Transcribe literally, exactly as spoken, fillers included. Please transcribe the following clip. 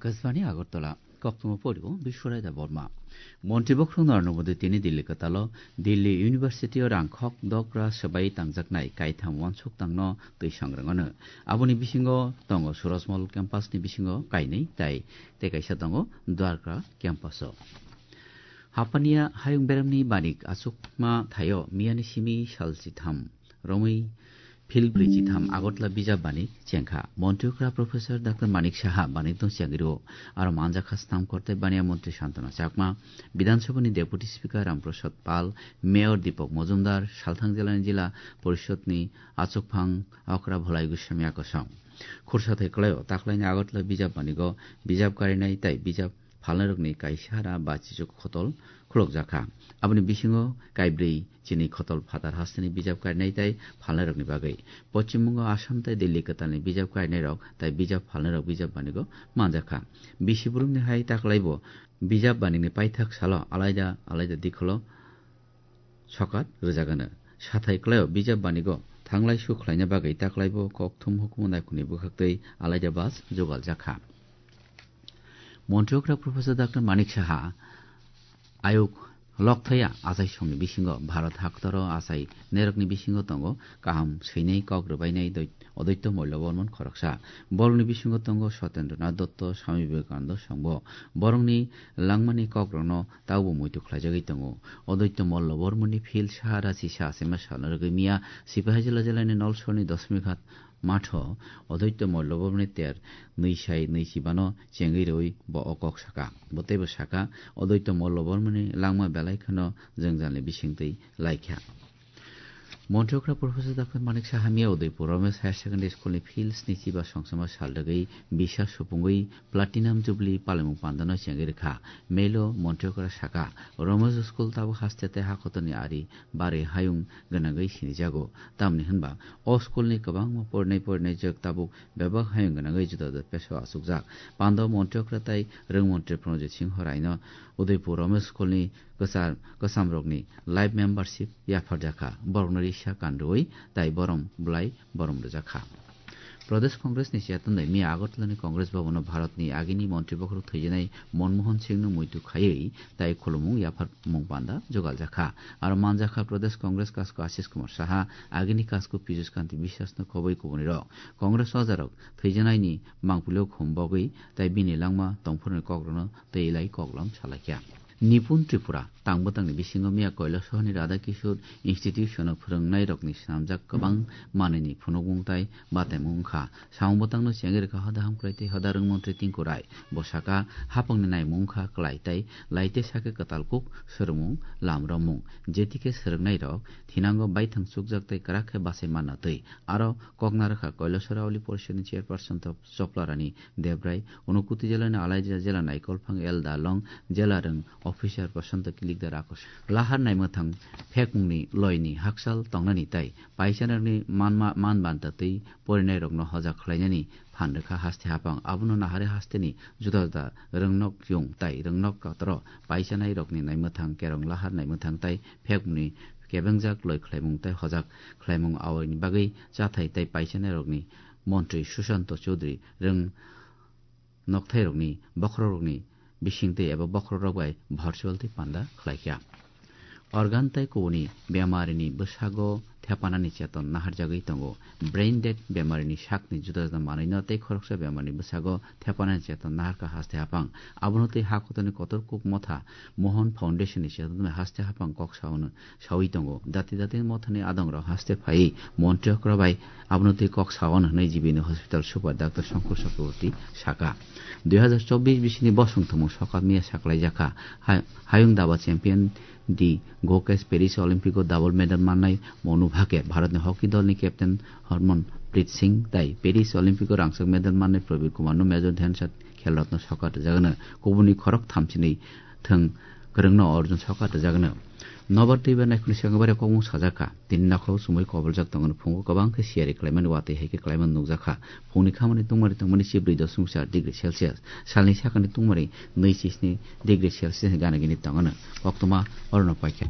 Akashbani Agartala, koktwma porio Biswarai Debbarma. Montri bokhorok Narendra Modi tini Delhi kwtalo Delhi University o rang khok dogra swbai tangjaknai kaitham wansuk tangno twi sangrwng anw. Aboni bisingo tongo Surajmahal campus ni bisingo kainwi tai tei kaisa tongo Dwarka campus o. Hapania hayung beremni banik achukma thaio miyani simi sal chitham romwi phil brwi chitham Agartala bijap banik chengkha. Montri okra Professor Doctor Manik Saha banik tong chengri o. Aro manjakha snam korte baniya montri Santana Chakma, Bidhan Sabha ni Deputy Speaker Ram Prasad Pal, Mayor Deepak Majumdar, Salthang jila ni Jila Porishod ni achukphang okra Bholai Goswami Akosong. Khursa thai kwlaio taklaini Agartala bijap banigo bijap karinai tai bijap phalnairokni kaisa hara bachichuk khotol khulokjakha. Aboni bisingo kaibrwi chini khotol phatar hasteni bijap karinai tai phalnairokni bagwi. Pochim Bongo, Assam tai Delhi kwtalni bijap karinairok tai bijap phalnairok bijap banigo manjakha. Bisi burumni hai taklaibo bijap banini paithak salo alaida alaida dikholo sokat rwjagano. Sathai kwlaio bijap banigo thanglai su khlaina bagwi taklaibo kokthum hukumu naikhungni bwkhaktwi alaida bus jugaljakha. Montri okra Professor Doctor Manik Saha ayuk lokthaya achai songni bisingo Bharat haktoro achai nerokni bisingo tongo kaham swinai kok rwbainai doi-, Odoityo Mollo Bormon khoroksa. Borokni bisingo tongo Satendra Nath Dotto, Swami Vivekananda songbo. Borokni langmani kokrokno taubo muitu khlaijagwi tongo. Odoityo Mollo Bormoni phil saha rachi sa achema salna rwgwi miya Sipahi jila jilani Nolsorni Dosmighat matho Odoityo Mollo Bormoni ter nwi sai nwi chibano chengwi rwi bo o kok saka. Bo teibo saka, Odoityo Mollo Bormoni langma belai kheno jwngjalni bisingtwi laikha. Montri okra Professor Doctor Manik Saha miya Udaipur Romesh Higher Secondary School ni phil sni chiba songsama sal rwgwi bisa supungwi Platinum Jubilee palimung pandano chengwi rwkha. Mail o Montri okra saka, Romesh School tabuk haste tei hakotoni ari barwi hayung gwnangwi sinijago. Tamni hwnba, o school ni kwbangma porinai porinai jwk tabuk bebak hayung gwnangwi juda juda pesao achukjak. Pando Montri okra tai Rwng Montri Pranojit Singho Raino Udaipur Romesh School ni kwchar-, kwchamrokni life membership yapharjakha. Borokno risa kan rwui tai borom bwlai borom rwjakha. Pradesh Congress ni chairman bai miya Agartala ni Congress Bhavan o Bharat ni agini montri bokhorok thwijanai Manmohan Singh no muitu khaiwi tai khulumung yapharmung panda jugaljakha. Aro manjakha Pradesh Congress kasko Ashish Kumar Saha, agini kasko Piyush Kanti Biswas no khobwi kubuni rok. Congress ojarok thwijanaini mangpilio khum bogwi tai bini langma tongphurni kokrokno tei lai koklam salaikha. Nipun Tripura tang bwtangni bisingo miya Koilasohorni Radha Kishore Institution o phwrwngnairokni swnamjak kwbang manwini phunukmung tai bataimung wngkha. Samung bwtangno chengwi rwkha hoda hamkrai tei hoda rwng montri Tinku Rai. Bo saka, hapangni naimung wngkha klai tei lai tei sakhe kwtal kuk swrwngmung lam romung. Jetikhe swrwngnairok thinango baithang chukjak tei kwrak khe bachai manna twi. Aro kok narwkha Koilasor Auli Porishadni chairperson Chopla Rani Debrai, Unokuti jilani Alaija jila naikolphang L Dalong, jila rwng officer Prasanta Kilikdar Akos. Lahar naimwthang phekmungni loini hakchal tongnani tai paichanarokni manma-, man banta twi porinairokno hojak khlainani phan rwkha haste hapang. Abono nahari hasteni juda juda rwngnok yung tai rwngnok kotoro paichanai rokni naimwthang kerong lahar naimwthang tai phekmungni kebengjak loi khlaimung tai hojak khlaimung awaini bagwi chathai tai paichanai rokni montri Sushanta Chowdhury rwng nokthairokni bokhorokrokni bisingtwi eba bokhorokrok bai virtual tei panda khlaikha. Organ tei kubuni bemarini bwsago thepanani cheton naharjagwi tongo. Brain dead bemarini sakni juda juda manwino tei khoroksa bemarini bwsago thepanani cheton naharkha haste hapang. Abono tei ha kotorni kotor kuk motha Mohan Foundation ni cheton haste hapang kok saono sawi tongo. Dati dati mothani adongrok haste phaiwi montri okra bai abono twi kok saono hwnwi G B ni hospital super Doctor Songkur Chakraborty saka. Dui hazar chobbish bisini bosong thwngmung sokat miya saklaijakha. Hai-, hayung daba champion di Gokesh Paris Olympic o double medal mannai Monu Bhake, Bharat ni hockey dol ni captain Harmanpreet Singh tai Paris Olympic o rangchak medal mannai Praveer Kumar no Major Dhyan Chand Khel Ratna sokat rwjagano. Kubuni khorok thamchinwi thwng kwrwngno Arjun sokat rwjagano. Nobar twibar naikhungni swkang bai kokmung sajakha. Tini nokhorok chumui koboljak tongmani phungo kwbang khe siyari khlaimani watwi hai khe khlaimani nukjakha. Phungni khamani tungmani tongmani chibrwi dosmik char degree Celsius. Salni sakani tungmani nwi chisni degree Celsius ni gana gini tongmani koktwma orono paikha.